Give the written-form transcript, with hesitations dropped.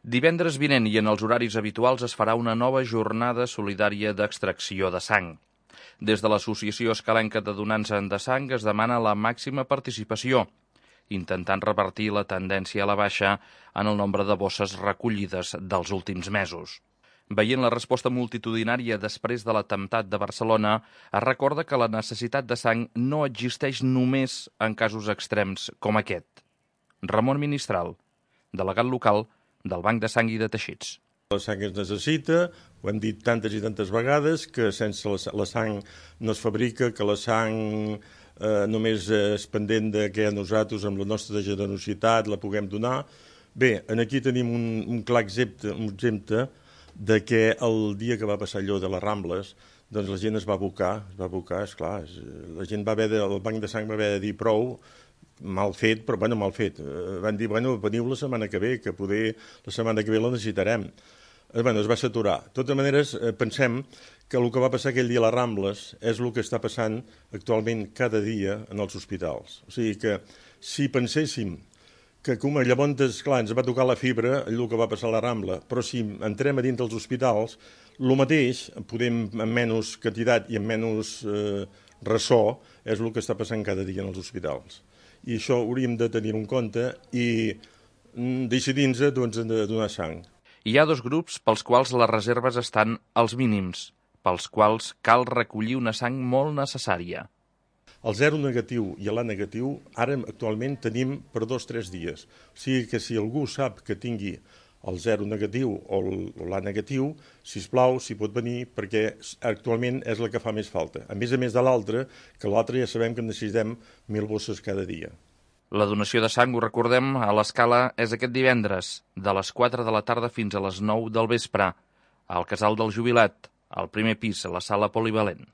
Divendres vinent i en els horaris habituals es farà una nova jornada solidària d'extracció de sang. Des de l'Associació Escalenca de Donants de Sang es demana la màxima participació, intentant revertir la tendència a la baixa en el nombre de bosses recollides dels últims mesos. Veient la resposta multitudinària després de l'atemptat de Barcelona, es recorda que la necessitat de sang no existeix només en casos extrems com aquest. Ramon Ministral, delegat local del Banc de Sang i de Teixits. La sang es necessita, ho hem dit tantes i tantes vegades, que sense la sang no es fabrica, que la sang només és pendent de que nosaltres, amb la nostra generositat, la puguem donar. Bé, aquí tenim un clar exemple de que el dia que va passar allò de les Rambles, doncs la gent es va abocar, esclar, la gent el Banc de Sang va haver de dir prou, mal fet, però mal fet. Van dir, veniu la setmana que ve, que poder la setmana que ve la necessitarem. Es va saturar. De totes maneres, pensem que el que va passar aquell dia a les Rambles és el que està passant actualment cada dia en els hospitals. O sigui que si penséssim que com llavors, clar, ens va tocar la fibra, el que va passar a la Rambla, però si entrem a dins dels hospitals, el mateix, podem amb menys quantitat i amb menys ressò, és el que està passant cada dia en els hospitals. I això hauríem de tenir en compte i decidir-nos de donar sang. Hi ha dos grups pels quals les reserves estan als mínims, pels quals cal recollir una sang molt necessària. El 0 negatiu i l'A negatiu ara actualment tenim per 2 o 3 dies. O sigui que si algú sap que tingui el 0 negatiu o l'A negatiu, sisplau, si pot venir, perquè actualment és la que fa més falta. A més de l'altre, que l'altre ja sabem que necessitem 1.000 bosses cada dia. La donació de sang, ho recordem, a l'Escala és aquest divendres, de les 4 de la tarda fins a les 9 del vespre, al Casal del Jubilat, al primer pis, a la sala polivalent.